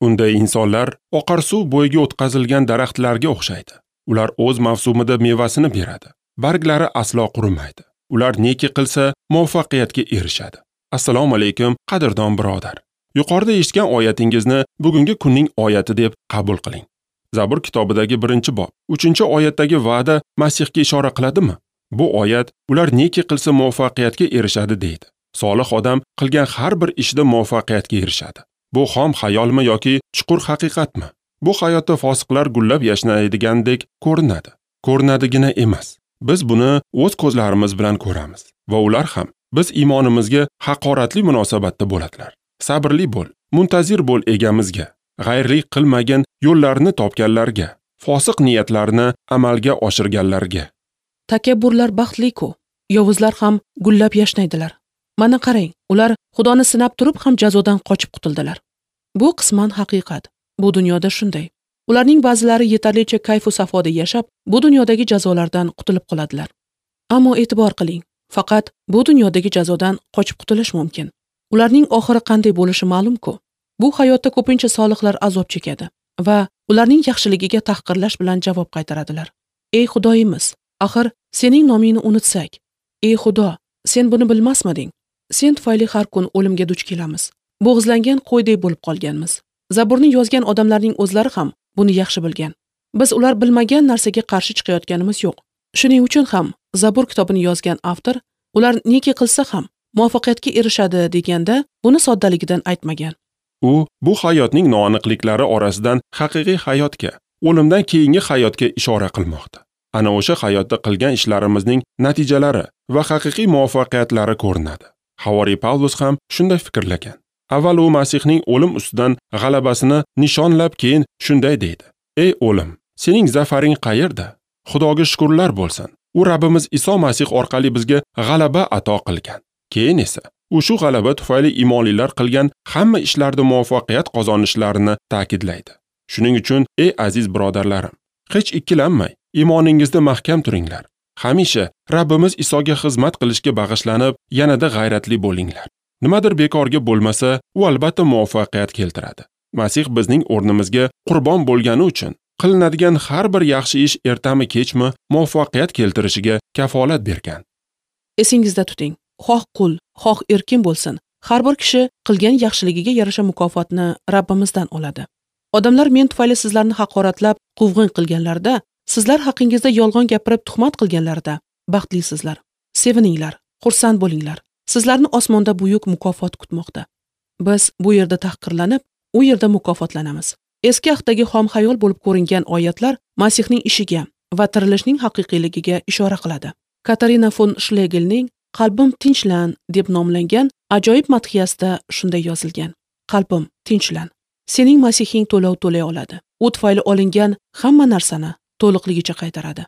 Unday insonlar oqar suv bo'yiga o'tqazilgan daraxtlarga o'xshaydi. Ular o'z mavsumida mevasini beradi. Barglari aslo qurimaydi. Ular neki qilsa muvaffaqiyatga erishadi. Assalomu alaykum, qadrdon birodar. Yuqorida eshitgan oyatingizni bugungi kunning oyati deb qabul qiling. Zabur kitobidagi 1-bob, 3-oyatdagi va'da Masihga ishora qiladimi? Bu oyat ular neki qilsa muvaffaqiyatga erishadi deydi. Solih odam qilgan har bir ishida muvaffaqiyatga erishadi. Bu xom xayolmi yoki chuqur haqiqatmi? Bu hayotda fosiqlar gullab yashnaydigandek ko'rinadi. Ko'rinadigina emas. Biz buni o'z ko'zlarimiz bilan ko'ramiz va ular ham biz iymonimizga haqoratli munosabatda bo'ladilar. Sabrli bo'l, muntazir bo'l egamizga, g'ayrlik qilmagan yo'llarni topganlarga, fosiq niyatlarni amalga oshirganlarga. Takabburlar baxtli-ku, yovuzlar ham gullab yashnaydilar. Mana qarang, ular Xudoni sinab turib ham jazodan qochib qutuldilar. Bu qisman haqiqat. Bu dunyoda shunday. Ularning ba'zilari yetarlicha kayf-u safoda yashab, bu dunyodagi jazolardan qutulib qoladilar. Ammo e'tibor qiling, faqat bu dunyodagi jazodan qochib qutulish mumkin. Ularning oxiri qanday bo'lishi ma'lum-ku. Bu hayotda ko'pincha solihlar azob chekadi va ularning yaxshiligiga tahqirlash bilan javob qaytaradilar. Ey Xudoyimiz, axir sening nomingni unutsak. Ey Xudo, sen buni bilmasmiding? Sen tufayli har kun o'limga duch kelamiz. Bo'g'izlangan qo'ydek bo'lib qolganmiz. Zaburni yozgan odamlarning o'zlari ham buni yaxshi bilgan. Biz ular bilmagan narsaga qarshi chiqayotganimiz yo'q. Shuning uchun ham Zabur kitobini yozgan avtor ular neki qilsa ham muvaffaqiyatga erishadi deganda buni soddaligidan aytmagan. U bu hayotning noaniqliklari orasidan haqiqiy hayotga, o'limdan keyingi hayotga ishora qilmoqda. Ana o'sha hayotda qilgan ishlarimizning natijalari va haqiqiy muvaffaqiyatlari ko'rinadi. Havoriy Pavlus ham shunday fikrlagan. Avval u Masihning o'lim ustidan g'alabasini nishonlab, keyin shunday deydi: Ey o'lim, sening zafaring qayerda? Xudoga shukrlar bo'lsin. U Rabbimiz Iso Masih orqali bizga g'alaba ato qilgan. Keyin esa u shu g'alaba tufayli imonlilar qilgan hamma ishlarda muvaffaqiyat qozonishlarini ta'kidlaydi. Shuning uchun ey aziz birodarlarim, hech ikkilanmay iymoningizda mahkam turinglar. Hamisha Rabbimiz Isoga xizmat qilishga bag'ishlanib, yanada g'ayratli bo'linglar. Nimadir bekorga bo'lmasa, u albatta muvaffaqiyat keltiradi. Masih bizning o'rnimizga qurbon bo'lgani uchun qilinadigan har bir yaxshi ish ertami kechmi muvaffaqiyat keltirishiga kafolat bergan. Esingizda tuting, xoh qul, xoh erkin bo'lsin, har bir kishi qilgan yaxshiligiga yarasha mukofotni Rabbimizdan oladi. Odamlar men tufayli sizlarni haqoratlab, quvg'in qilganlarida, sizlar haqingizda yolg'on gapirib tuhmat qilganlarida baxtlisizlar. Sevininglar, xursand bo'linglar. Sizlarni osmonda buyuk mukofot kutmoqda. Biz bu yerda tahqirlanib, u yerda mukofotlanamiz. Eski ahdagi xom xayol bo'lib ko'ringan oyatlar Masihning ishiga va tirilishning haqiqiyligiga ishora qiladi. Katarina fon Shlegelning Qalbim tinchlan deb nomlangan ajoyib madhiyasida shunday yozilgan: Qalbim tinchlan. Sening Masihing to'lov to'lay oladi. U tufayli olingan hamma narsani to'liqligicha qaytaradi.